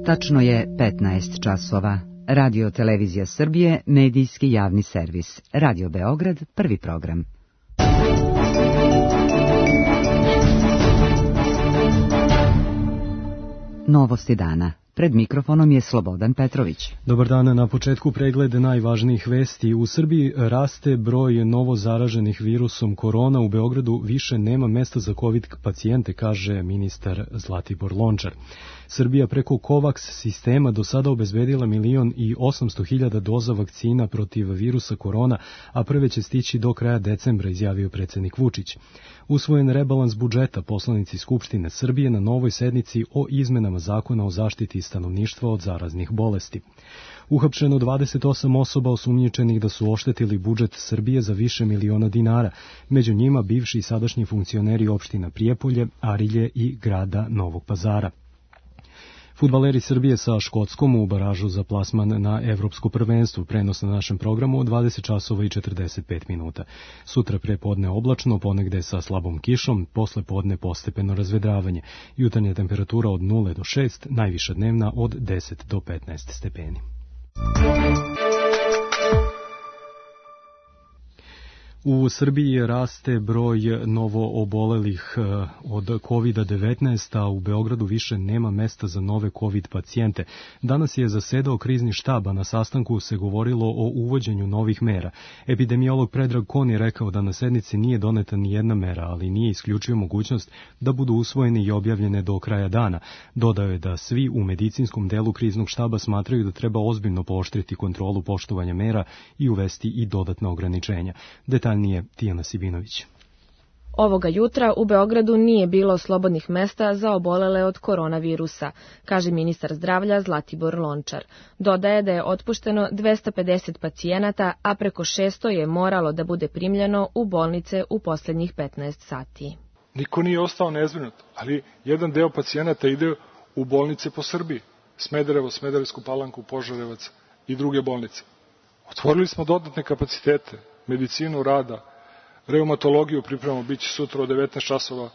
Tačno je 15 časova. Radio Televizija Srbije, medijski javni servis. Radio Beograd, prvi program. Novosti dana. Pred mikrofonom je Slobodan Petrović. Dobar dan, na početku pregled najvažnijih vesti. U Srbiji raste broj novo zaraženih virusom korona. U Beogradu više nema mesta za COVID pacijente, kaže ministar Zlatibor Lončar. Srbija preko COVAX sistema do sada obezbedila 1.800.000 doza vakcina protiv virusa korona, a prve će stići do kraja decembra, izjavio predsjednik Vučić. Usvojen rebalans budžeta, poslanici Skupštine Srbije na novoj sednici o izmenama zakona o zaštiti stanovništva od zaraznih bolesti. Uhapšeno 28 osoba osumnjičenih da su oštetili budžet Srbije za više miliona dinara, među njima bivši i sadašnji funkcioneri opština Prijepolje, Arilje i grada Novog Pazara. Fudbaleri Srbije sa Škotskom u baražu za plasman na Evropsko prvenstvo. Prenos na našem programu od 20 časova i 45 minuta. Sutra prepodne oblačno, ponegde sa slabom kišom, posle podne postepeno razvedravanje. Jutarnja temperatura od 0 do 6, najviša dnevna od 10 do 15 stepeni. U Srbiji raste broj novo obolelih od COVID-19, a u Beogradu više nema mesta za nove COVID pacijente. Danas je zasedao krizni štab, a na sastanku se govorilo o uvođenju novih mera. Epidemiolog Predrag Kon je rekao da na sednici nije doneta ni jedna mera, ali nije isključio mogućnost da budu usvojene i objavljene do kraja dana. Dodao je da svi u medicinskom delu kriznog štaba smatraju da treba ozbiljno pooštriti kontrolu poštovanja mera i uvesti i dodatna ograničenja. Detaljnije Tijana Sibinović. Ovoga jutra u Beogradu nije bilo slobodnih mesta za obolele od koronavirusa, kaže ministar zdravlja Zlatibor Lončar. Dodaje da je otpušteno 250 pacijenata, a preko 600 je moralo da bude primljeno u bolnice u posljednjih 15 sati. Niko nije ostao nezbrinut, ali jedan deo pacijenata ide u bolnice po Srbiji. Smederevo, Smederevsku Palanku, Požarevac i druge bolnice. Otvorili smo dodatne kapacitete, medicinu rada, reumatologiju pripremamo, bit će sutra od 19 časova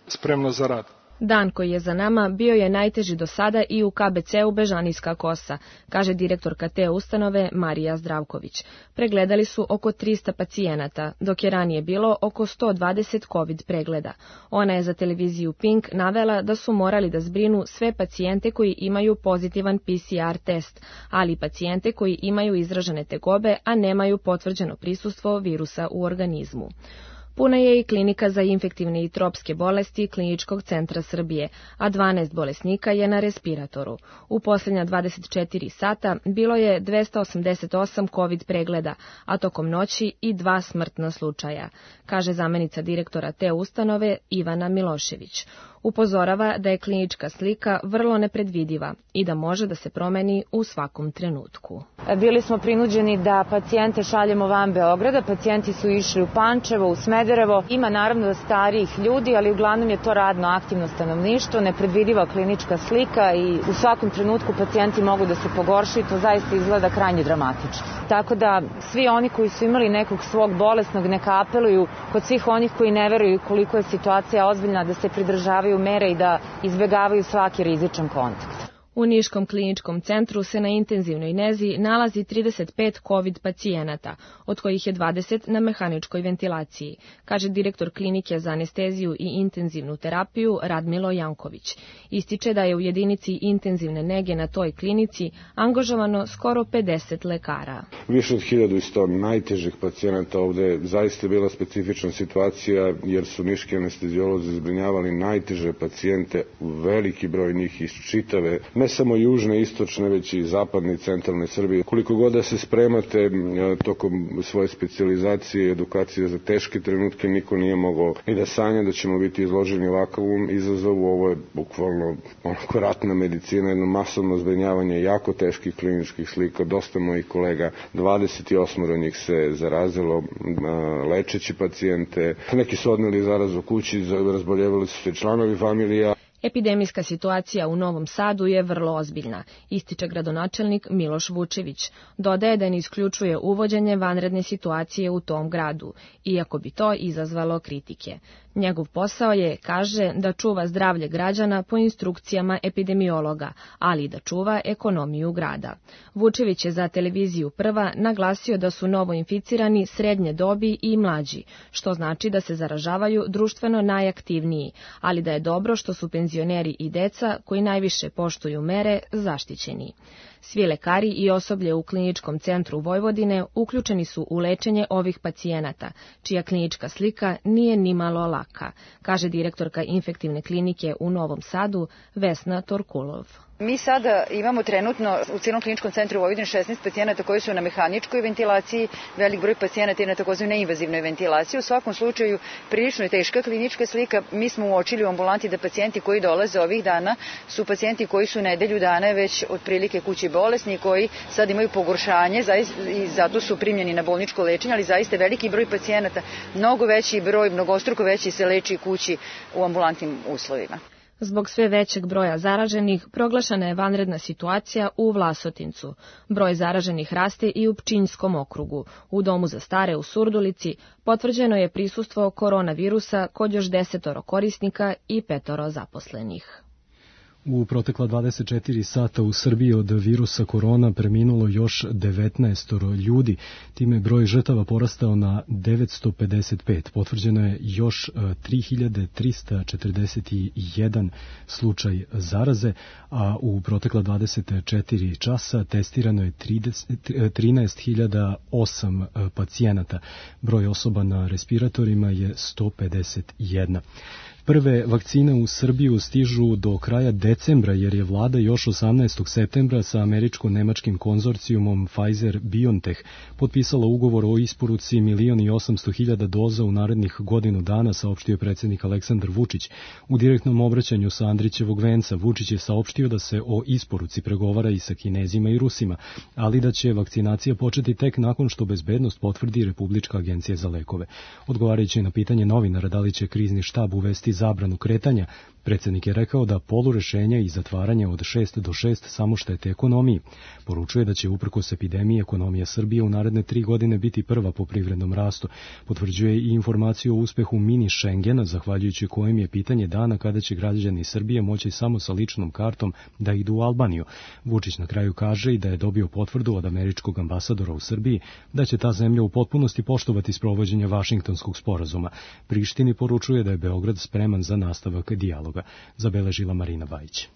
spremna za rad. Dan koji je za nama bio je najteži do sada i u KBC-u Bežanijska Kosa, kaže direktorka te ustanove Marija Zdravković. Pregledali su oko 300 pacijenata, dok je ranije bilo oko 120 COVID pregleda. Ona je za televiziju Pink navela da su morali da zbrinu sve pacijente koji imaju pozitivan PCR test, ali i pacijente koji imaju izražene tegobe, a nemaju potvrđeno prisustvo virusa u organizmu. Puna je i klinika za infektivne i tropske bolesti Kliničkog centra Srbije, a 12 bolesnika je na respiratoru. U posljednja 24 sata bilo je 288 COVID pregleda, a tokom noći i 2 smrtna slučaja, kaže zamenica direktora te ustanove Ivana Milošević. Upozorava da je klinička slika vrlo nepredvidiva i da može da se promeni u svakom trenutku. Bili smo prinuđeni da pacijente šaljemo van Beograda, pacijenti su išli u Pančevo, u Smederevo. Ima naravno starijih ljudi, ali uglavnom je to radno aktivno stanovništvo, nepredvidiva klinička slika i u svakom trenutku pacijenti mogu da se pogoršaju, to zaista izgleda krajnje dramatično. Tako da svi oni koji su imali nekog svog bolesnog neka apeluju kod svih onih koji ne veruju koliko je situacija ozbiljna da se pridržavaju mere i da izbegavaju svaki rizičan kontakt. U Niškom kliničkom centru se na intenzivnoj nezi nalazi 35 COVID pacijenata, od kojih je 20 na mehaničkoj ventilaciji, kaže direktor klinike za anesteziju i intenzivnu terapiju Radmilo Janković. Ističe da je u jedinici intenzivne nege na toj klinici angažovano skoro 50 lekara. Više od 1100 najtežih pacijenata. Ovde je zaista bila specifična situacija jer su niški anesteziolozi zbrinjavali najteže pacijente, veliki broj njih iz čitave, ne samo južne, istočne, već i zapadne i centralne Srbije. Koliko god da se spremate tokom svoje specijalizacije i edukacije za teške trenutke, niko nije mogao ni da sanja da ćemo biti izloženi ovakvom izazovu. Ovo je bukvalno onako ratna medicina, jedno masovno zbrinjavanje jako teških kliničkih slika. Dosta mojih kolega, 28 njih se zarazilo lečeći pacijente. Neki su odneli zarazu kući, razboljevali su se članovi familija. Epidemijska situacija u Novom Sadu je vrlo ozbiljna, ističe gradonačelnik Miloš Vučević. Dodaje da ne isključuje uvođenje vanredne situacije u tom gradu, iako bi to izazvalo kritike. Njegov posao je, kaže, da čuva zdravlje građana po instrukcijama epidemiologa, ali i da čuva ekonomiju grada. Vučević je za televiziju Prva naglasio da su novoinficirani srednje dobi i mlađi, što znači da se zaražavaju društveno najaktivniji, ali da je dobro što su penzioneri i deca, koji najviše poštuju mere, zaštićeni. Svi lekari i osoblje u Kliničkom centru Vojvodine uključeni su u lečenje ovih pacijenata, čija klinička slika nije nimalo laka, kaže direktorka infektivne klinike u Novom Sadu Vesna Torkulov. Mi sada imamo trenutno u cijelom Kliničkom centru Vojvodine 16 pacijenata koji su na mehaničkoj ventilaciji, velik broj pacijenata je na takozvanoj neinvazivnoj ventilaciji. U svakom slučaju prilično je teška klinička slika. Mi smo uočili u ambulanti da pacijenti koji dolaze ovih dana su pacijenti koji su nedelju dana već otprilike kući bolesni, koji sad imaju pogoršanje i zato su primljeni na bolničko lečenje, ali zaista veliki broj pacijenata, mnogo veći broj, mnogostruko veći se leči kući u ambulantnim uslovima. Zbog sve većeg broja zaraženih, proglašena je vanredna situacija u Vlasotincu. Broj zaraženih raste i u Pčinjskom okrugu. U domu za stare u Surdulici potvrđeno je prisustvo koronavirusa kod još 10 korisnika i 5 zaposlenih. U protekla 24 sata u Srbiji od virusa korona preminulo još 19 ljudi, time broj žrtava porastao na 955. Potvrđeno je još 3341 slučaj zaraze, a u protekla 24 časa testirano je 13.008 pacijenata. Broj osoba na respiratorima je 151. Prve vakcine u Srbiju stižu do kraja decembra, jer je vlada još 18. septembra sa američko-nemačkim konzorcijumom Pfizer-BioNTech potpisala ugovor o isporuci 1.800.000 doza u narednih godinu dana, saopštio predsjednik Aleksandar Vučić. U direktnom obraćanju sa Andrićevog venca Vučić je saopštio da se o isporuci pregovara i sa Kinezima i Rusima, ali da će vakcinacija početi tek nakon što bezbednost potvrdi Republička agencija za lekove. Odgovarajući na pitanje novinara da li će krizni štab uvesti zabranu kretanja, predsjednik je rekao da polurešenja i zatvaranja od 6 do 6 samo štete ekonomiji. Poručuje da će uprkos epidemiji ekonomija Srbije u naredne 3 godine biti prva po privrednom rastu. Potvrđuje i informaciju o uspehu mini Schengena, zahvaljujući kojem je pitanje dana kada će građani Srbije moći samo sa ličnom kartom da idu u Albaniju. Vučić na kraju kaže i da je dobio potvrdu od američkog ambasadora u Srbiji da će ta zemlja u potpunosti poštovati sprovođenje Vašingtonskog sporazuma. Prištini poručuje da je Beograd spreman za nastavak dijaloga, zabeležila Marina Bajić.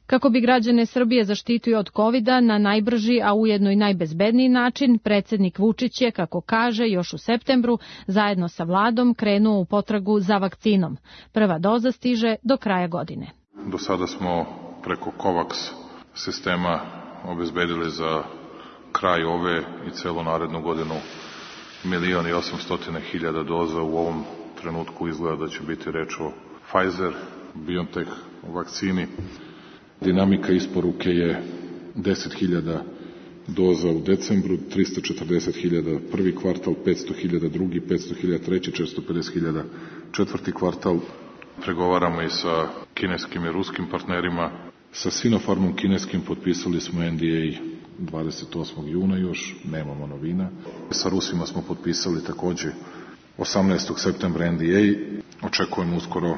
Kako bi građane Srbije zaštitio od covida na najbrži, a ujedno i najbezbedniji način, predsjednik Vučić je, kako kaže, još u septembru zajedno sa vladom krenuo u potragu za vakcinom. Prva doza stiže do kraja godine. Do sada smo preko COVAX sistema obezbedili za kraj ove i celu narednu godinu 1.800.000 doza. U ovom trenutku izgleda da će biti reč o Pfizer-BioNTech vakcini. Dinamika isporuke je 10.000 doza u decembru, 340.000 prvi kvartal, 500.000 drugi, 500.000 treći, 450.000 četvrti kvartal. Pregovaramo i sa kineskim i ruskim partnerima. Sa Sinopharmom kineskim potpisali smo NDA 28. juna, još nemamo novina. Sa Rusima smo potpisali takođe 18. septembra NDA. Očekujemo uskoro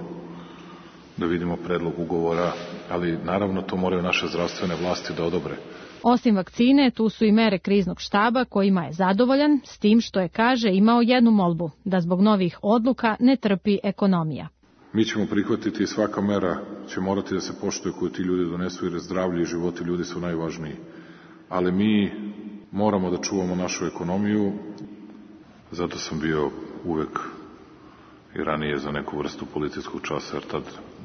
da vidimo predlog ugovora, ali naravno to moraju naše zdravstvene vlasti da odobre. Osim vakcine, tu su i mere kriznog štaba kojima je zadovoljan, s tim što je, kaže, imao jednu molbu, da zbog novih odluka ne trpi ekonomija. Mi ćemo prihvatiti i svaka mera će morati da se poštuje koju ti ljudi donesu, jer zdravlje i životi ljudi su najvažniji. Ali mi moramo da čuvamo našu ekonomiju, zato sam bio uvek i ranije za neku vrstu policijskog časa, jer tad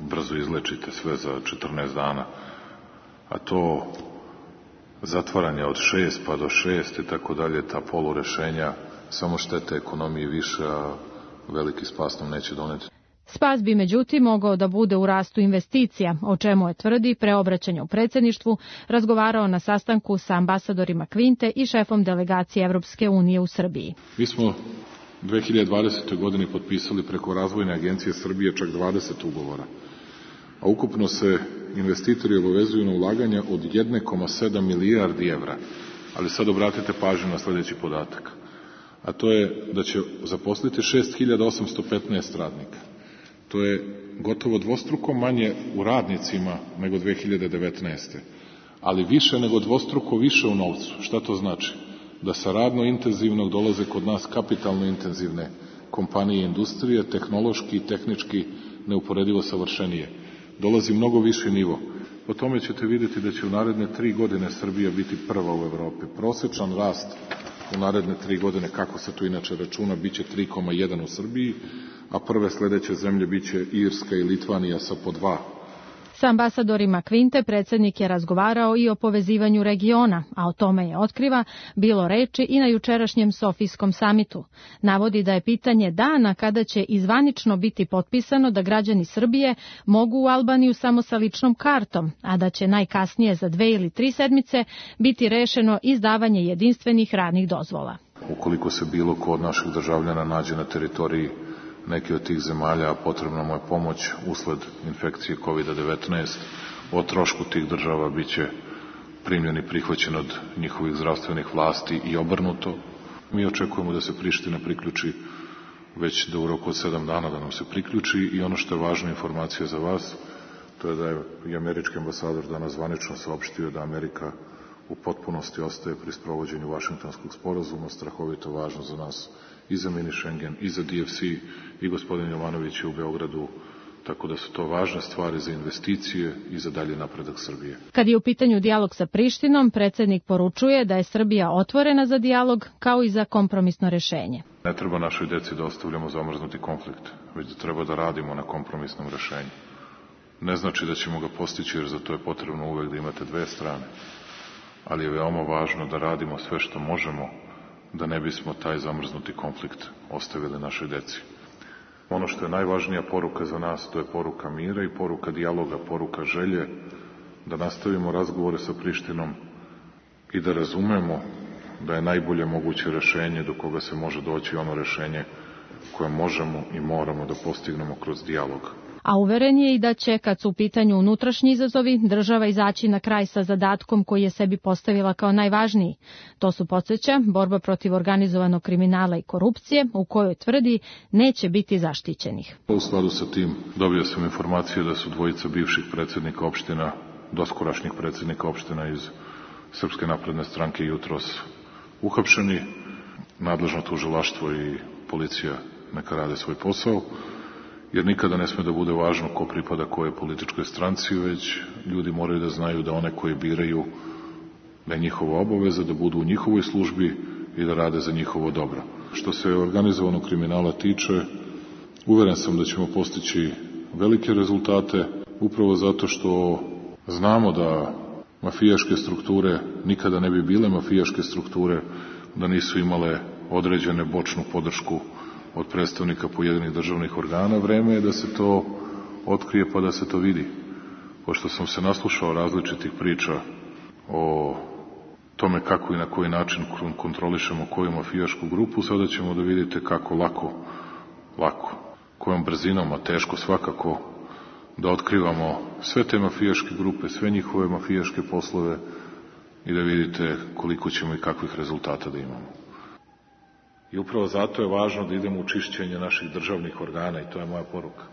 brzo izlečite sve za 14 dana. A to zatvaranje od 6 pa do 6 i tako dalje, ta polurešenja, samo štete ekonomiji više, a veliki spas nam neće doneti. Spas bi međutim mogao da bude u rastu investicija, o čemu je, tvrdi, preobraćanje u predsjedništvu razgovarao na sastanku sa ambasadorima Kvinte i šefom delegacije Evropske unije u Srbiji. Mi smo 2020. godini potpisali preko Razvojne agencije Srbije čak 20 ugovora. a ukupno se investitori obavezuju na ulaganja od 1,7 milijardi evra. Ali sad obratite pažnju na sljedeći podatak, a to je da će zaposliti 6.815 radnika. To je gotovo dvostruko manje u radnicima nego 2019. Ali više nego dvostruko više u novcu. Šta to znači? Da sa radno intenzivnog dolaze kod nas kapitalno intenzivne kompanije i industrije, tehnološki i tehnički neuporedivo savršenije. Dolazi mnogo viši nivo. Po tome ćete vidjeti da će u naredne 3 godine Srbija biti prva u Evropi. Prosečan rast u naredne 3 godine, kako se to inače računa, biće 3,1 u Srbiji, a prve sledeće zemlje biće Irska i Litvanija sa po 2. Sa ambasadorima Kvinte predsjednik je razgovarao i o povezivanju regiona, a o tome je, otkriva, bilo reči i na jučerašnjem Sofijskom samitu. Navodi da je pitanje dana kada će izvanično biti potpisano da građani Srbije mogu u Albaniju samo sa ličnom kartom, a da će najkasnije za 2 ili 3 sedmice biti rešeno izdavanje jedinstvenih radnih dozvola. Ukoliko se bilo ko od naših državljana nađe na teritoriji neke od tih zemalja, a potrebna mu je pomoć usled infekcije COVID-19, o trošku tih država biće primljen i prihvaćen od njihovih zdravstvenih vlasti i obrnuto. Mi očekujemo da se Priština priključi već da u roku od 7 dana da nam se priključi i ono što je važna informacija za vas, to je da je i američki ambasador danas zvanično saopštio da Amerika u potpunosti ostaje pri sprovođenju Vašingtonskog sporazuma, strahovito važno za nas i za mini Schengen, i za DFC, i gospodin Jovanović je u Beogradu, tako da su to važne stvari za investicije i za dalje napredak Srbije. Kad je u pitanju dijalog sa Prištinom, predsjednik poručuje da je Srbija otvorena za dijalog kao i za kompromisno rešenje. Ne treba našoj deci da ostavljamo zamrznuti konflikt, već da treba da radimo na kompromisnom rešenju. Ne znači da ćemo ga postići, jer za to je potrebno uvek da imate 2 strane, ali je veoma važno da radimo sve što možemo da ne bismo taj zamrznuti konflikt ostavili našoj deci. Ono što je najvažnija poruka za nas, to je poruka mira i poruka dijaloga, poruka želje da nastavimo razgovore sa Prištinom i da razumemo da je najbolje moguće rešenje do koga se može doći ono rešenje koje možemo i moramo da postignemo kroz dijalog. A uveren je i da će, kad su u pitanju unutrašnji izazovi, država izaći na kraj sa zadatkom koji je sebi postavila kao najvažniji. To su, podsjeća, borba protiv organizovanog kriminala i korupcije, u kojoj tvrdi neće biti zaštićenih. U skladu sa tim dobio sam informacije da su 2 bivših predsjednika opština, doskorašnjih predsjednika opština iz Srpske napredne stranke jutros uhapšeni. Nadležno tužilaštvo i policija neka rade svoj posao, jer nikada ne sme da bude važno ko pripada kojoj političkoj stranci, već ljudi moraju da znaju da one koje biraju, da je njihova obaveza da budu u njihovoj službi i da rade za njihovo dobro. Što se organizovanog kriminala tiče, uveren sam da ćemo postići velike rezultate, upravo zato što znamo da mafijaške strukture nikada ne bi bile mafijaške strukture da nisu imale određene bočnu podršku od predstavnika pojedinih državnih organa. Vreme je da se to otkrije pa da se to vidi. Pošto sam se naslušao različitih priča o tome kako i na koji način kontrolišemo koju mafijašku grupu, sada ćemo da vidite kako lako, kojom brzinom, a teško svakako, da otkrivamo sve te mafijaške grupe, sve njihove mafijaške poslove i da vidite koliko ćemo i kakvih rezultata da imamo. I upravo zato je važno da idemo u čišćenje naših državnih organa i to je moja poruka.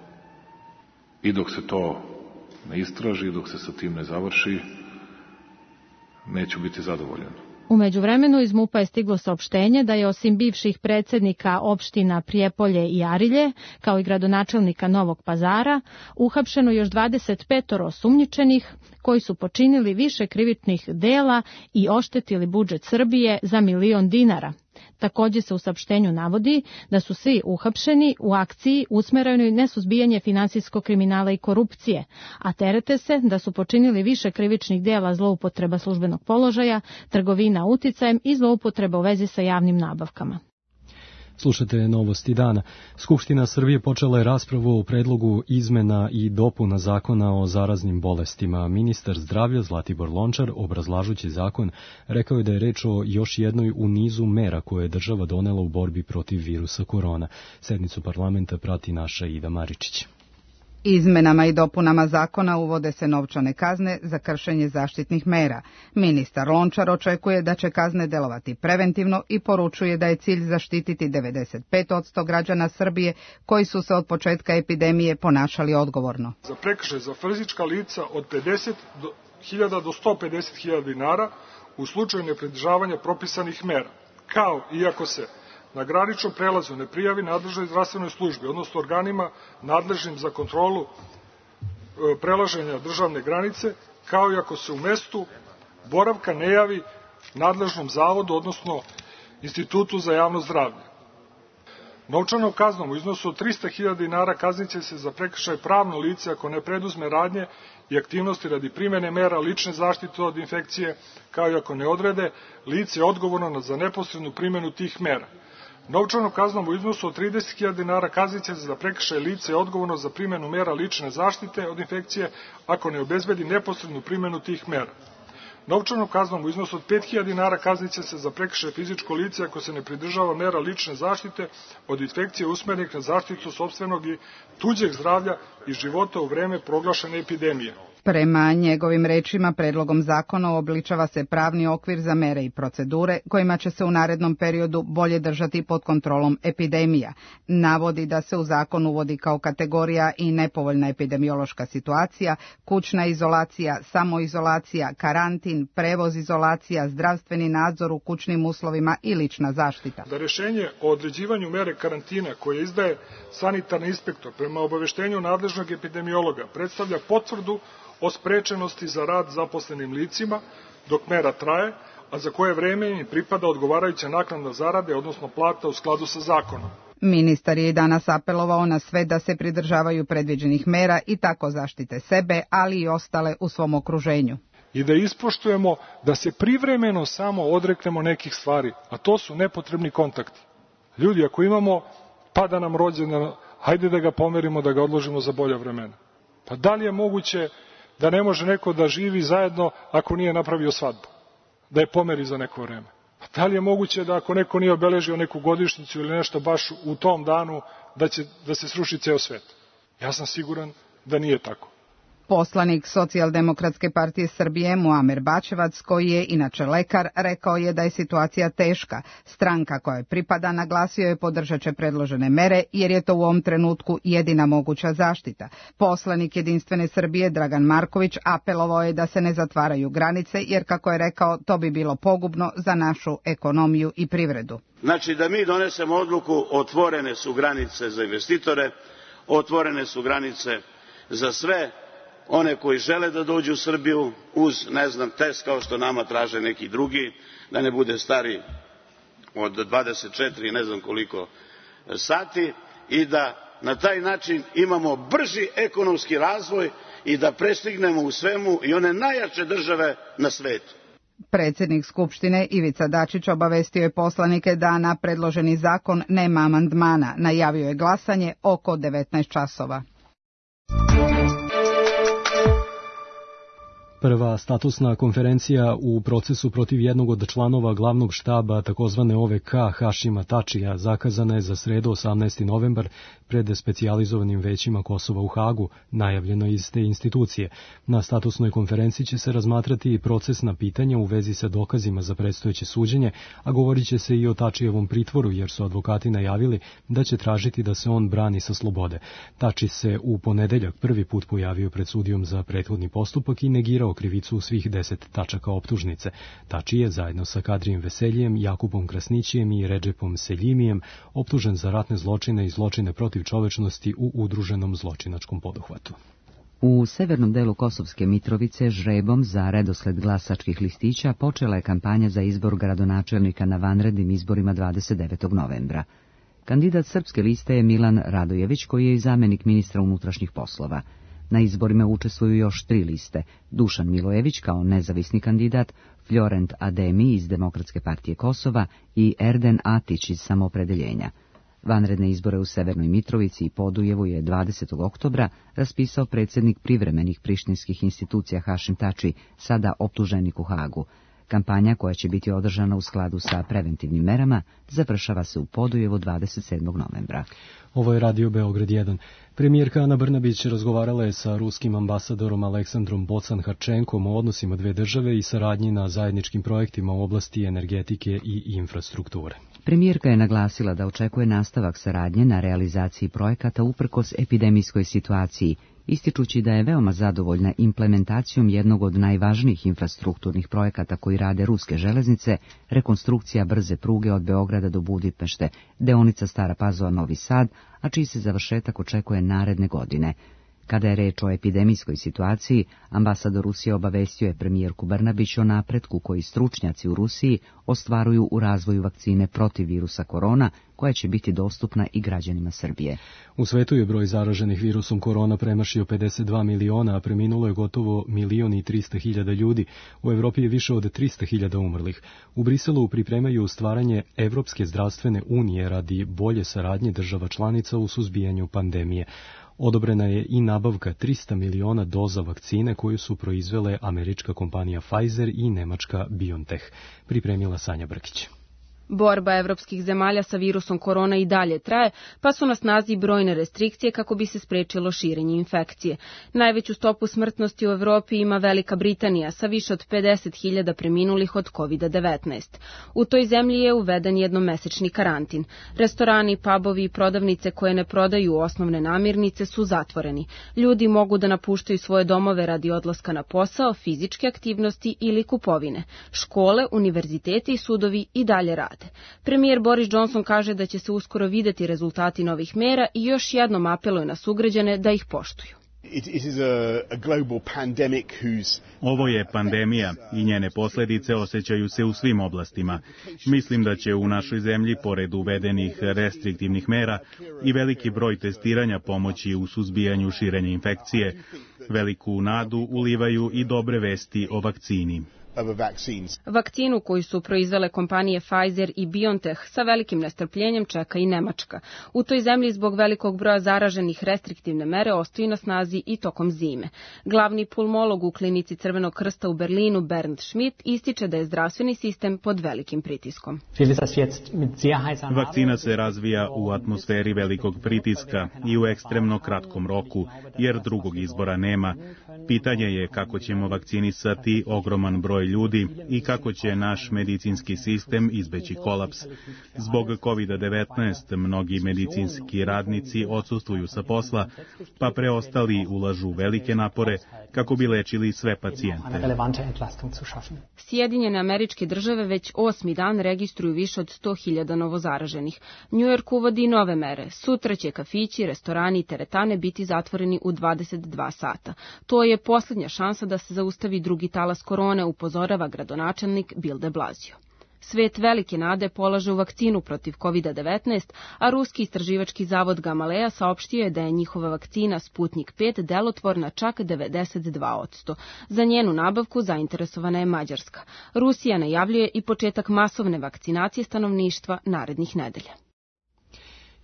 I dok se to ne istraži, dok se sa tim ne završi, neću biti zadovoljan. U međuvremenu iz MUP-a je stiglo saopštenje da je osim bivših predsjednika opština Prijepolje i Arilje, kao i gradonačelnika Novog Pazara, uhapšeno još 25 osumnjičenih koji su počinili više krivičnih dela i oštetili budžet Srbije za 1 milion dinara. Također se u saopštenju navodi da su svi uhapšeni u akciji usmerenoj na suzbijanje finansijskog kriminala i korupcije, a terete se da su počinili više krivičnih dela zloupotreba službenog položaja, trgovina uticajem i zloupotreba u vezi sa javnim nabavkama. Slušate novosti dana. Skupština Srbije počela je raspravu o predlogu izmena i dopuna zakona o zaraznim bolestima. Ministar zdravlja Zlatibor Lončar, obrazlažući zakon, rekao je da je reč o još jednoj u nizu mera koje je država donela u borbi protiv virusa korona. Sednicu parlamenta prati naša Ida Maričić. Izmenama i dopunama zakona uvode se novčane kazne za kršenje zaštitnih mera. Ministar Lončar očekuje da će kazne delovati preventivno i poručuje da je cilj zaštititi 95% građana Srbije koji su se od početka epidemije ponašali odgovorno. Za prekršaj za fizička lica od 50.000 do 150.000 dinara u slučaju nepridržavanja propisanih mera, kao i ako se na graničnom prelazu ne prijavi nadležnoj zdravstvenoj službi, odnosno organima nadležnim za kontrolu prelaženja državne granice, kao i ako se u mestu boravka ne javi nadležnom zavodu, odnosno Institutu za javno zdravlje. Novčanom kaznom u iznosu od 300.000 dinara kazniće se za prekršaj pravno lice ako ne preduzme radnje i aktivnosti radi primene mera lične zaštite od infekcije, kao i ako ne odrede lice odgovorno za neposrednu primenu tih mera. Novčanom kaznom u iznosu od 30.000 dinara kazniće se za prekršaj lice odgovorno za primenu mera lične zaštite od infekcije ako ne obezbedi neposrednu primenu tih mera. Novčanom kaznom u iznosu od 5.000 dinara kazniće se za prekršaj fizičko lice ako se ne pridržava mera lične zaštite od infekcije usmerenih na zaštitu sopstvenog i tuđeg zdravlja i života u vreme proglašene epidemije. Prema njegovim rečima, predlogom zakona uobličava se pravni okvir za mere i procedure kojima će se u narednom periodu bolje držati pod kontrolom epidemija. Navodi da se u zakon uvodi kao kategorija i nepovoljna epidemiološka situacija, kućna izolacija, samoizolacija, karantin, prevoz izolacija, zdravstveni nadzor u kućnim uslovima i lična zaštita. Da rešenje o određivanju mere karantina koje izdaje sanitarni inspektor prema obaveštenju nadležnog epidemiologa predstavlja potvrdu o sprečenosti za rad zaposlenim licima dok mera traje, a za koje vreme im pripada odgovarajuća naknada zarade, odnosno plata u skladu sa zakonom. Ministar je i danas apelovao na sve da se pridržavaju predviđenih mera i tako zaštite sebe, ali i ostale u svom okruženju. I da ispoštujemo da se privremeno samo odreknemo nekih stvari, a to su nepotrebni kontakti. Ljudi, ako imamo, pada nam rođendan, hajde da ga pomerimo, da ga odložimo za bolja vremena. Pa da li je moguće da ne može neko da živi zajedno ako nije napravio svadbu, da je pomeri za neko vreme? Pa da li je moguće da ako neko nije obeležio neku godišnjicu ili nešto baš u tom danu da se sruši ceo svet? Ja sam siguran da nije tako. Poslanik Socijaldemokratske partije Srbije Muamer Bačevac, koji je inače lekar, rekao je da je situacija teška. Stranka kojoj pripada naglasio je podržat će predložene mere jer je to u ovom trenutku jedina moguća zaštita. Poslanik Jedinstvene Srbije Dragan Marković apelovao je da se ne zatvaraju granice jer, kako je rekao, to bi bilo pogubno za našu ekonomiju i privredu. Znači da mi donesemo odluku, otvorene su granice za investitore, otvorene su granice za sve one koji žele da dođu u Srbiju uz, test kao što nama traže neki drugi, da ne bude stari od 24 ne znam koliko sati i da na taj način imamo brži ekonomski razvoj i da prestignemo u svemu i one najjače države na svetu. Predsjednik Skupštine Ivica Dačić obavestio je poslanike da na predloženi zakon nema amandmana. Najavio je glasanje oko 19 časova. Prva statusna konferencija u procesu protiv jednog od članova glavnog štaba takozvane OVK Hašima Tačija zakazana je za sredu 18. novembar pred specijalizovanim većima Kosova u Hagu, najavljeno iz te institucije. Na statusnoj konferenciji će se razmatrati i procesna pitanja u vezi sa dokazima za predstojeće suđenje, a govorit će se i o Tačijevom pritvoru jer su advokati najavili da će tražiti da se on brani sa slobode. Tači se u ponedeljak prvi put pojavio pred sudijom za prethodni postupak i negirao krivicu u svih 10 tačaka optužnice. Tači je zajedno sa Kadrijem Veseljijem, Jakubom Krasnićijem i Redžepom Seljimijem optužen za ratne zločine i zločine protiv čovečnosti u udruženom zločinačkom poduhvatu. U severnom delu Kosovske Mitrovice žrebom za redosled glasačkih listića počela je kampanja za izbor gradonačelnika na vanrednim izborima 29. novembra. Kandidat Srpske liste je Milan Radojević, koji je i zamenik ministra unutrašnjih poslova. Na izborima učestvuju još 3 liste: Dušan Milojević kao nezavisni kandidat, Florent Ademi iz Demokratske partije Kosova i Erden Atić iz Samoopredeljenja. Vanredne izbore u Severnoj Mitrovici i Podujevu je 20. oktobra raspisao predsjednik privremenih prištinskih institucija Hašim Tači, sada optuženik u Hagu. Kampanja, koja će biti održana u skladu sa preventivnim merama, završava se u Podujevu 27. novembra. Ovo je Radio Beograd 1. Premijerka Ana Brnabić razgovarala je sa ruskim ambasadorom Aleksandrom Bocan-Harčenkom o odnosima dve države i saradnji na zajedničkim projektima u oblasti energetike i infrastrukture. Premijerka je naglasila da očekuje nastavak saradnje na realizaciji projekata uprkos epidemijskoj situaciji, ističući da je veoma zadovoljna implementacijom jednog od najvažnijih infrastrukturnih projekata koji rade ruske železnice, rekonstrukcija brze pruge od Beograda do Budimpešte, deonica Stara Pazova Novi Sad, a čiji se završetak očekuje naredne godine. Kada je reč o epidemijskoj situaciji, ambasador Rusije obavestio je premijerku Brnabić o napretku koji stručnjaci u Rusiji ostvaruju u razvoju vakcine protiv virusa korona, koja će biti dostupna i građanima Srbije. U svetu je broj zaraženih virusom korona premašio 52 miliona, a preminulo je gotovo 1.300.000 ljudi. U Evropi je više od 300.000 umrlih. U Briselu pripremaju stvaranje Evropske zdravstvene unije radi bolje saradnje država članica u suzbijanju pandemije. Odobrena je i nabavka 300 miliona doza vakcine koju su proizvele američka kompanija Pfizer i nemačka BioNTech, pripremila Sanja Brkić. Borba evropskih zemalja sa virusom korona i dalje traje, pa su na snazi brojne restrikcije kako bi se sprečilo širenje infekcije. Najveću stopu smrtnosti u Evropi ima Velika Britanija sa više od 50.000 preminulih od COVID-19. U toj zemlji je uveden jednomesečni karantin. Restorani, pubovi i prodavnice koje ne prodaju osnovne namirnice su zatvoreni. Ljudi mogu da napuštaju svoje domove radi odlaska na posao, fizičke aktivnosti ili kupovine. Škole, univerziteti i sudovi i dalje rade. Premijer Boris Johnson kaže da će se uskoro videti rezultati novih mera i još jednom apeluje na sugrađane da ih poštuju. Ovo je pandemija i njene posljedice osjećaju se u svim oblastima. Mislim da će u našoj zemlji, pored uvedenih restriktivnih mera, i veliki broj testiranja pomoći u suzbijanju širenja infekcije. Veliku nadu ulivaju i dobre vesti o vakcini. Vakcinu koju su proizvele kompanije Pfizer i BioNTech sa velikim nestrpljenjem čeka i Nemačka. U toj zemlji zbog velikog broja zaraženih restriktivne mere ostaju na snazi i tokom zime. Glavni pulmolog u klinici Crvenog krsta u Berlinu, Bernd Schmidt, ističe da je zdravstveni sistem pod velikim pritiskom. Vakcina se razvija u atmosferi velikog pritiska i u ekstremno kratkom roku, jer drugog izbora nema. Pitanje je kako ćemo vakcinisati ogroman broj ljudi i kako će naš medicinski sistem izbeći kolaps. Zbog COVID-19 mnogi medicinski radnici odsustvuju sa posla, pa preostali ulažu velike napore kako bi lečili sve pacijente. Sjedinjene Američke Države već 8. dan registruju više od 100.000 novozaraženih. New York uvodi nove mere. Sutra će kafići, restorani i teretane biti zatvoreni u 22 sata. To je posljednja šansa da se zaustavi drugi talas korone, upozorava gradonačelnik Bill de Blasio. Svet velike nade polaže u vakcinu protiv COVID-19, a ruski istraživački zavod Gamaleya saopštio je da je njihova vakcina Sputnik 5 delotvorna čak 92%. Za njenu nabavku zainteresovana je Mađarska. Rusija najavljuje i početak masovne vakcinacije stanovništva narednih nedelja.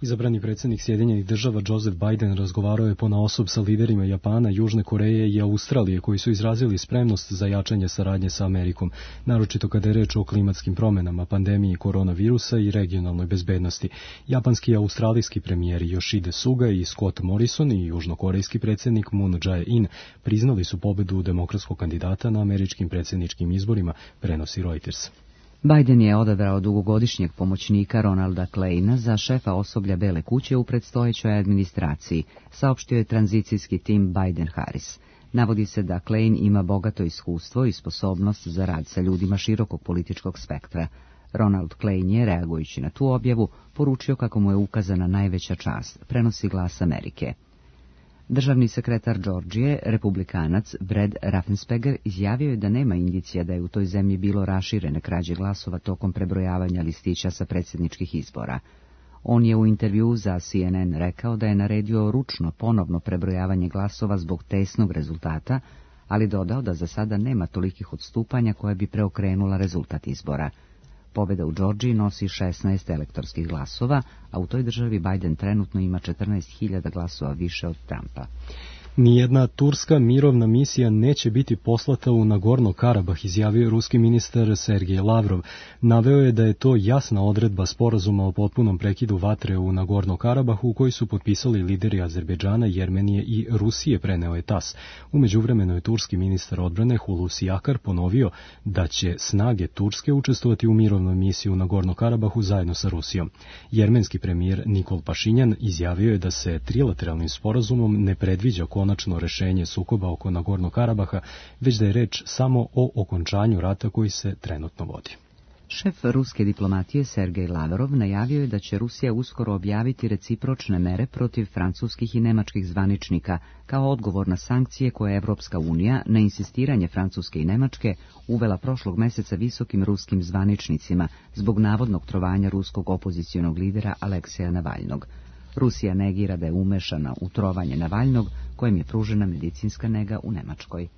Izabrani predsjednik Sjedinjenih Država Joseph Biden razgovarao je ponaosob sa liderima Japana, Južne Koreje i Australije koji su izrazili spremnost za jačanje saradnje sa Amerikom, naročito kada je reč o klimatskim promjenama, pandemiji koronavirusa i regionalnoj bezbednosti. Japanski i australijski premijeri Yoshide Suga i Scott Morrison i južnokorejski predsjednik Moon Jae-in priznali su pobedu demokratskog kandidata na američkim predsjedničkim izborima, prenosi Reuters. Biden je odabrao dugogodišnjeg pomoćnika Ronalda Kleina za šefa osoblja Bele kuće u predstojećoj administraciji, saopštio je tranzicijski tim Biden-Harris. Navodi se da Klein ima bogato iskustvo i sposobnost za rad sa ljudima širokog političkog spektra. Ronald Klein je, reagujući na tu objavu, poručio kako mu je ukazana najveća čast, prenosi Glas Amerike. Državni sekretar Georgije, republikanac Brad Raffensperger, izjavio je da nema indicija da je u toj zemlji bilo raširene krađe glasova tokom prebrojavanja listića sa predsjedničkih izbora. On je u intervjuu za CNN rekao da je naredio ručno ponovno prebrojavanje glasova zbog tesnog rezultata, ali dodao da za sada nema tolikih odstupanja koje bi preokrenula rezultat izbora. Pobjeda u Georgiji nosi 16 elektorskih glasova, a u toj državi Biden trenutno ima 14.000 glasova više od Trumpa. Nijedna turska mirovna misija neće biti poslata u Nagorno Karabah, izjavio ruski ministar Sergej Lavrov. Naveo je da je to jasna odredba sporazuma o potpunom prekidu vatre u Nagorno Karabahu koji su potpisali lideri Azerbejdžana, Jermenije i Rusije, preneo je TAS. U međuvremenu je turski ministar odbrane Hulusi Akar ponovio da će snage Turske učestvovati u mirovnoj misiji u Nagorno Karabahu zajedno sa Rusijom. Jermenski premijer Nikol Pašinjan izjavio je da se trilateralnim sporazumom ne predviđa konačno rešenje sukoba oko Nagorno Karabaha, već da je reč samo o okončanju rata koji se trenutno vodi. Šef ruske diplomatije Sergej Lavrov najavio je da će Rusija uskoro objaviti recipročne mere protiv francuskih i nemačkih zvaničnika kao odgovor na sankcije koje je Evropska unija na insistiranje Francuske i Nemačke uvela prošlog meseca visokim ruskim zvaničnicima zbog navodnog trovanja ruskog opozicionog lidera Alekseja Navalnog. Rusija negira da je umešana u trovanje Navalnog, kojem je pružena medicinska nega u Nemačkoj.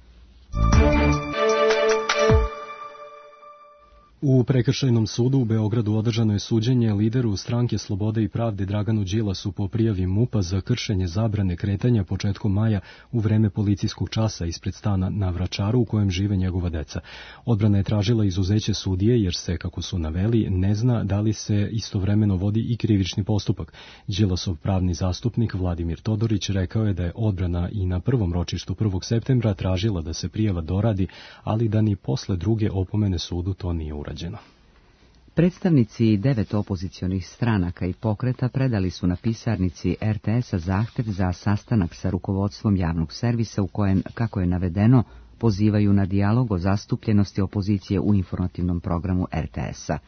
U Prekršajnom sudu u Beogradu održano je suđenje lideru Stranke Slobode i pravde Draganu Đilasu po prijavi MUP-a za kršenje zabrane kretanja početkom maja u vreme policijskog časa ispred stana na Vračaru u kojem žive njegova deca. Odbrana je tražila izuzeće sudije jer se, kako su naveli, ne zna da li se istovremeno vodi i krivični postupak. Đilasov pravni zastupnik Vladimir Todorić rekao je da je odbrana i na prvom ročištu 1. septembra tražila da se prijava doradi, ali da ni posle druge opomene sudu to nije urađeno. Predstavnici 9 opozicionih stranaka i pokreta predali su na pisarnici RTS-a zahtev za sastanak sa rukovodstvom javnog servisa u kojem, kako je navedeno, pozivaju na dijalog o zastupljenosti opozicije u informativnom programu RTS-a.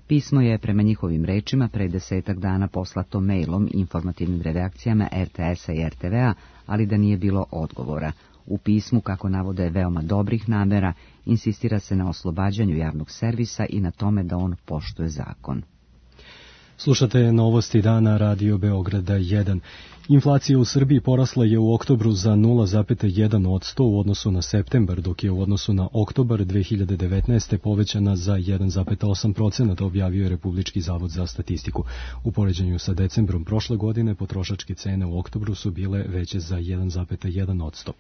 Pismo je, prema njihovim rečima, pre 10 dana poslato mailom informativnim redakcijama RTS-a i RTV-a, ali da nije bilo odgovora. U pismu, kako navode veoma dobrih namera, insistira se na oslobađanju javnog servisa i na tome da on poštuje zakon. Slušate novosti dana Radio Beograda 1. Inflacija u Srbiji porasla je u oktobru za 0,1% u odnosu na septembar, dok je u odnosu na oktobar 2019. povećana za 1,8%, objavio je Republički zavod za statistiku. U poređenju sa decembrom prošle godine potrošačke cene u oktobru su bile veće za 1,1%.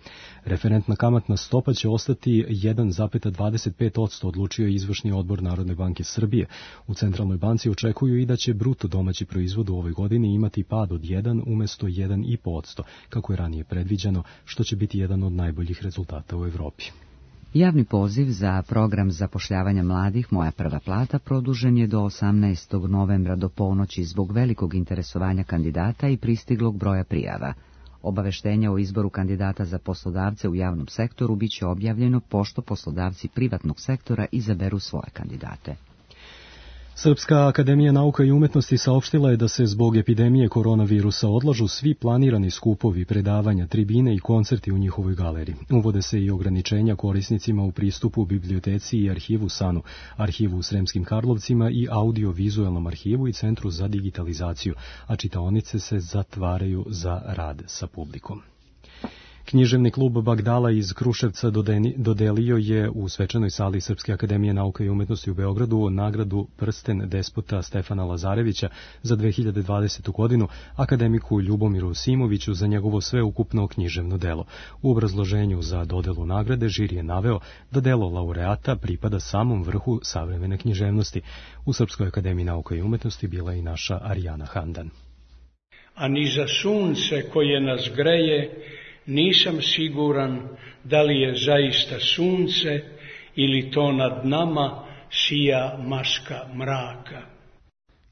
Referentna kamatna stopa će ostati 1,25%, odlučio je izvršni odbor Narodne banke Srbije. U Centralnoj banci očekuju i da će bruto domaći proizvod u ovoj godini imati pad od 1 umesto 1,5%, kako je ranije predviđeno, što će biti jedan od najboljih rezultata u Evropi. Javni poziv za program zapošljavanja mladih Moja prva plata produžen je do 18. novembra do ponoći zbog velikog interesovanja kandidata i pristiglog broja prijava. Obaveštenja o izboru kandidata za poslodavce u javnom sektoru biće objavljeno pošto poslodavci privatnog sektora izaberu svoje kandidate. Srpska akademija nauka i umetnosti saopštila je da se zbog epidemije koronavirusa odlažu svi planirani skupovi, predavanja, tribine i koncerti u njihovoj galeriji. Uvode se i ograničenja korisnicima u pristupu biblioteci i arhivu SANU, arhivu u Sremskim Karlovcima i audio-vizualnom arhivu i Centru za digitalizaciju, a čitaonice se zatvaraju za rad sa publikom. Književni klub Bagdala iz Kruševca dodelio je u svečanoj sali Srpske akademije nauka i umetnosti u Beogradu nagradu Prsten despota Stefana Lazarevića za 2020. godinu akademiku Ljubomiru Simoviću za njegovo sveukupno književno delo. U obrazloženju za dodelu nagrade žiri je naveo da delo laureata pripada samom vrhu savremene književnosti. U Srpskoj akademiji nauka i umetnosti bila je i naša Arijana Handan. A ni za sunce koje nas greje nisam siguran da li je zaista sunce ili to nad nama sija maska mraka.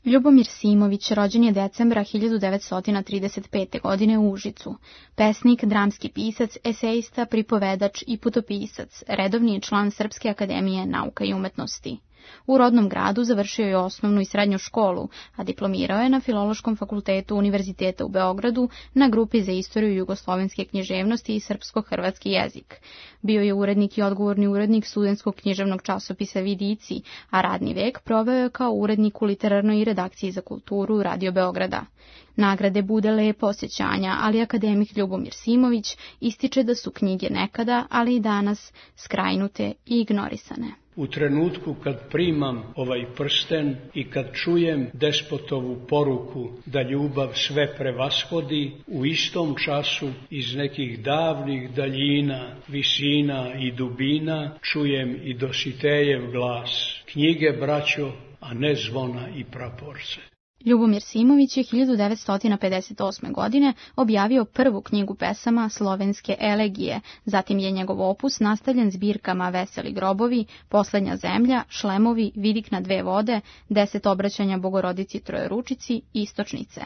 Ljubomir Simović rođen je decembra 1935. godine u Užicu. Pesnik, dramski pisac, esejista, pripovedač i putopisac, redovni je član Srpske akademije nauka i umetnosti. U rodnom gradu završio je osnovnu i srednju školu, a diplomirao je na Filološkom fakultetu Univerziteta u Beogradu na grupi za istoriju jugoslovenske književnosti i srpsko-hrvatski jezik. Bio je urednik i odgovorni urednik studentskog književnog časopisa Vidici, a radni vek proveo je kao urednik u literarnoj redakciji za kulturu Radio Beograda. Nagrade bude lepo osjećanja, ali akademik Ljubomir Simović ističe da su knjige nekada, ali i danas, skrajnute i ignorisane. U trenutku kad primam ovaj prsten i kad čujem despotovu poruku da ljubav sve prevashodi, u istom času iz nekih davnih daljina, visina i dubina čujem i Dositejev glas. Knjige, braćo, a ne zvona i praporce. Ljubomir Simović je 1958. godine objavio prvu knjigu pesama Slovenske elegije, zatim je njegov opus nastavljen zbirkama Veseli grobovi, Poslednja zemlja, Šlemovi, Vidik na dve vode, 10 obraćanja Bogorodici Trojeručici, Istočnice.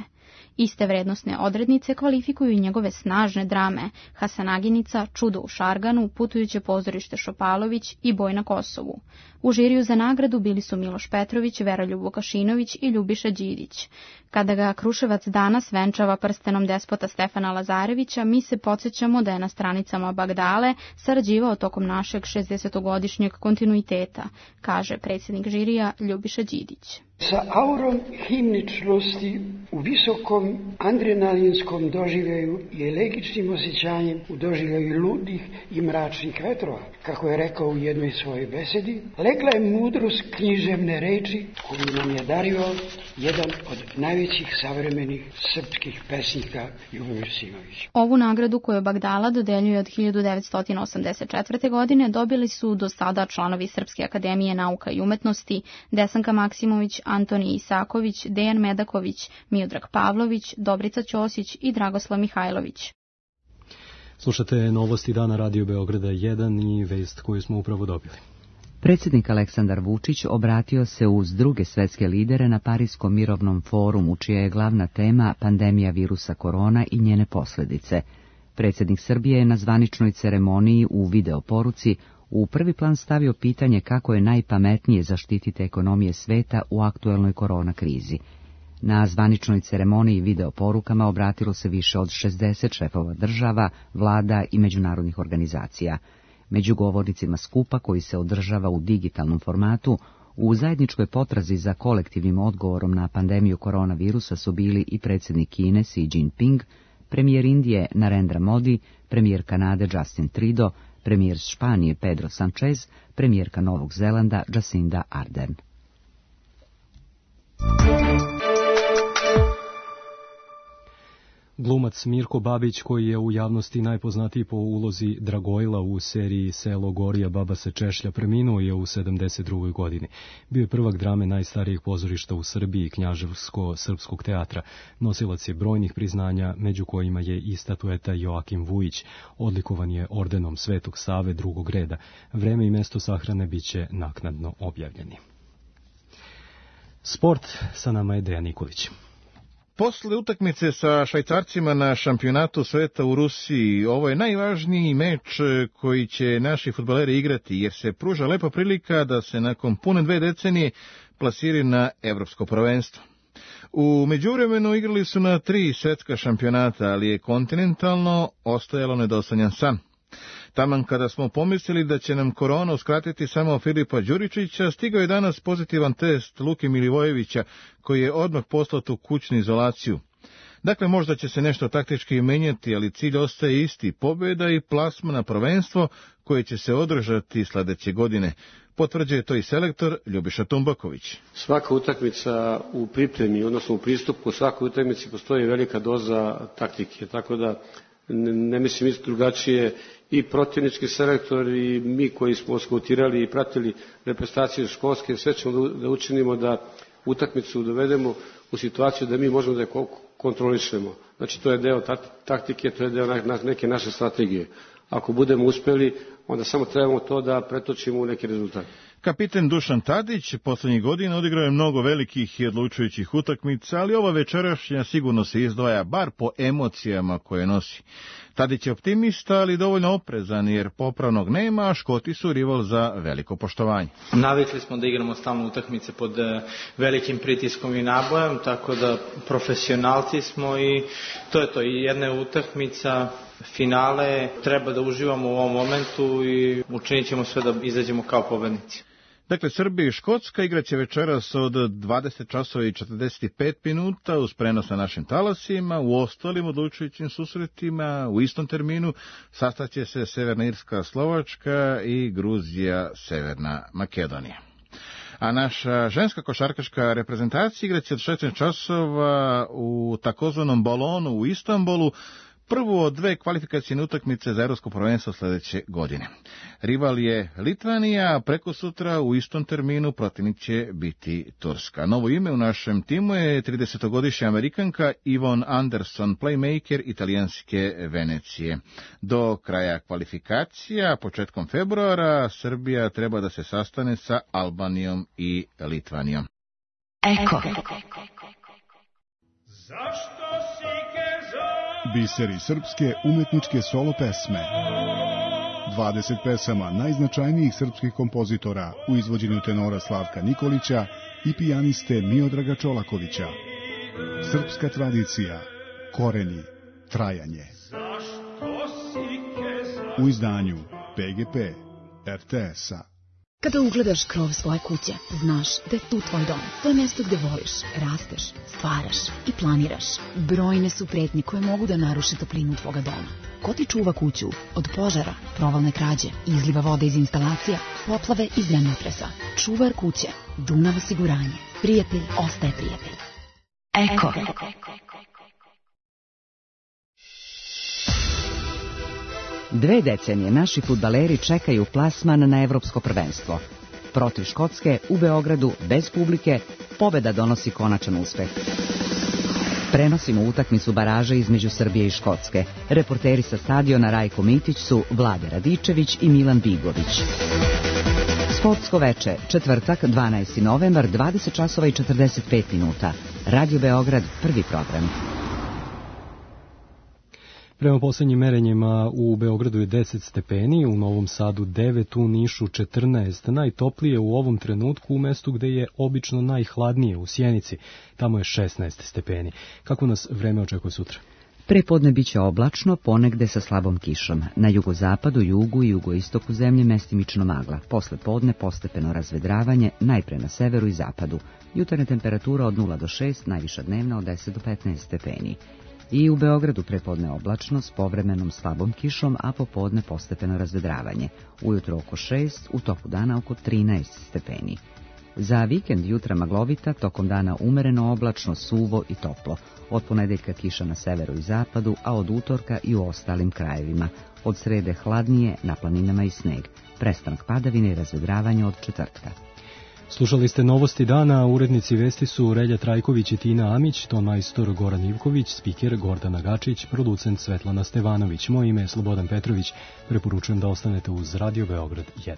Iste vrednostne odrednice kvalifikuju i njegove snažne drame Hasanaginica, Čudo u Šarganu, Putujuće pozorište Šopalović i Boj na Kosovu. U žiriju za nagradu bili su Miloš Petrović, Veroljub Vukašinović i Ljubiša Đidić. Kada ga Kruševac danas venčava prstenom despota Stefana Lazarevića, mi se podsjećamo da je na stranicama Bagdale sarađivao tokom našeg 60-godišnjeg kontinuiteta, kaže predsjednik žirija Ljubiša Đidić. Sa aurom himničnosti u visokom adrenalinskom doživljaju i elegičnim osjećanjem u doživljaju ludih i mračnih vetrova, kako je rekao u jednoj svojoj besedi, legla je mudrost književne reči koju nam je dario jedan od najvećih savremenih srpskih pesnika Ljubomir Simović. Ovu nagradu koju Bagdala dodeljuje od 1984. godine dobili su do sada članovi Srpske akademije nauka i umetnosti Desanka Maksimović, Antonij Isaković, Dejan Medaković, Miodrag Pavlović, Dobrica Ćosić i Dragoslav Mihajlović. Slušate novosti dana Radio Beograda 1 i vest koju smo upravo dobili. Predsjednik Aleksandar Vučić obratio se uz druge svetske lidere na Parijskom mirovnom forumu, čija je glavna tema pandemija virusa korona i njene posljedice. Predsjednik Srbije je na zvaničnoj ceremoniji u videoporuci u prvi plan stavio pitanje kako je najpametnije zaštititi ekonomije sveta u aktuelnoj korona krizi. Na zvaničnoj ceremoniji videoporukama obratilo se više od 60 šefova država, vlada i međunarodnih organizacija. Među govornicima skupa, koji se održava u digitalnom formatu, u zajedničkoj potrazi za kolektivnim odgovorom na pandemiju koronavirusa su bili i predsjednik Kine Xi Jinping, premijer Indije Narendra Modi, premijer Kanade Justin Trudeau, premijer Španije Pedro Sanchez, premijerka Novog Zelanda Jacinda Ardern. Glumac Mirko Babić, koji je u javnosti najpoznatiji po ulozi Dragojla u seriji Selo Gorija, baba se češlja, preminuo je u 72. godini. Bio je prvak drame najstarijeg pozorišta u Srbiji, Knjaževsko-srpskog teatra. Nosilac je brojnih priznanja, među kojima je i statueta Joakim Vujić. Odlikovan je ordenom Svetog Save drugog reda. Vreme i mesto sahrane biće naknadno objavljeni. Sport, sa nama je Dejan Nikolić. Posle utakmice sa Švajcarcima na šampionatu sveta u Rusiji, ovo je najvažniji meč koji će naši fudbaleri igrati, jer se pruža lepa prilika da se nakon pune 2 decenije plasiri na evropsko prvenstvo. U međuvremenu igrali su na 3 svetska šampionata, ali je kontinentalno ostajalo nedosanjan san. Taman kada smo pomislili da će nam korona uskratiti samo Filipa Đuričića, stigao je danas pozitivan test Luke Milivojevića, koji je odmah poslat u kućnu izolaciju. Dakle, možda će se nešto taktički menjati, ali cilj ostaje isti, pobjeda i plasma na prvenstvo koje će se održati sledeće godine. Potvrđuje to i selektor Ljubiša Tumbaković. Svaka utakmica u pripremi, odnosno u pristupu svakoj utakmici postoji velika doza taktike, tako da ne mislim isto drugačije i protivnički selektor i mi koji smo skautirali i pratili reprezentacije školske, sve ćemo da učinimo da utakmicu dovedemo u situaciju da mi možemo da je kontrolišemo. Znači to je deo taktike, to je deo neke naše strategije. Ako budemo uspeli, onda samo trebamo to da pretočimo u neki rezultat. Kapiten Dušan Tadić poslednjih godina odigrao je mnogo velikih i odlučujućih utakmica, ali ova večerašnja sigurno se izdvaja, bar po emocijama koje nosi. Tadić je optimista, ali dovoljno oprezan, jer popravnog nema, a Škoti su rival za veliko poštovanje. Navikli smo da igramo stalno utakmice pod velikim pritiskom i nabojem, tako da profesionalci smo i to je to. I jedna je utakmica, finale, treba da uživamo u ovom momentu i učinit ćemo sve da izađemo kao pobednici. Dakle, Srbija i Škotska igraće večeras od 20 časova i 45 minuta uz prenos na našim talasima. U ostalim odlučujućim susretima u istom terminu sastaće se Severna Irska, Slovačka i Gruzija, Severna Makedonija. A naša ženska košarkaška reprezentacija igraće od 16 časova u takozvanom balonu u Istanbulu, prvu od dve kvalifikacijne utakmice za evropsko prvenstvo sledeće godine. Rival je Litvanija, a prekosutra u istom terminu protivnik će biti Turska. Novo ime u našem timu je 30-godišnja Amerikanka Yvonne Anderson, playmaker italijanske Venecije. Do kraja kvalifikacija, početkom februara, Srbija treba da se sastane sa Albanijom i Litvanijom. Eko. Biseri srpske umetničke solo pesme. 20 pesama najznačajnijih srpskih kompozitora u izvođenju tenora Slavka Nikolića i pijaniste Miodraga Čolakovića. Srpska tradicija, koreni, trajanje. U izdanju PGP RTS-a. Kada ugledaš krov svoje kuće, znaš da je tu tvoj dom. To je mjesto gde voliš, rasteš, stvaraš i planiraš. Brojne su pretnje koje mogu da naruše toplinu tvoga doma. Ko ti čuva kuću od požara, provalne krađe, izliva vode iz instalacija, poplave i zemljotresa? Čuvar kuće, Dunav osiguranje. Prijatelj ostaje prijatelj. Eko. Dve decenije naši fudbaleri čekaju plasman na evropsko prvenstvo. Protiv Škotske u Beogradu bez publike pobeda donosi konačan uspeh. Prenosimo utakmicu baraže između Srbije i Škotske. Reporteri sa stadiona Rajko Mitić su Vlade Radičević i Milan Bigović. Sportsko veče, četvrtak, 12. novembar, 20 časova i 45 minuta. Radio Beograd, prvi program. Prema posljednjim merenjima u Beogradu je 10 stepeni, u Novom Sadu 9, u Nišu 14, najtoplije u ovom trenutku u mestu gde je obično najhladnije, u Sjenici, tamo je 16 stepeni. Kako nas vreme očekuje sutra? Prepodne biće oblačno, ponegde sa slabom kišom. Na jugozapadu, jugu i jugoistoku zemlje mestimično magla. Posle podne postepeno razvedravanje, najpre na severu i zapadu. Jutarnja temperatura od 0 do 6, najviša dnevna od 10 do 15 stepeni. I u Beogradu prepodne oblačno s povremenom slabom kišom, a popodne postepeno razvedravanje. Ujutro oko 6, u toku dana oko 13 stepeni. Za vikend jutra maglovita, tokom dana umereno oblačno, suvo i toplo. Od ponedeljka kiša na severu i zapadu, a od utorka i u ostalim krajevima. Od srede hladnije, na planinama i sneg. Prestanak padavine i razvedravanje od četvrtka. Slušali ste novosti dana, urednici vesti su Relja Trajković i Tina Amić, ton majstor Goran Ivković, spiker Gordana Gačić, producent Svetlana Stevanović. Moje ime je Slobodan Petrović, preporučujem da ostanete uz Radio Beograd 1.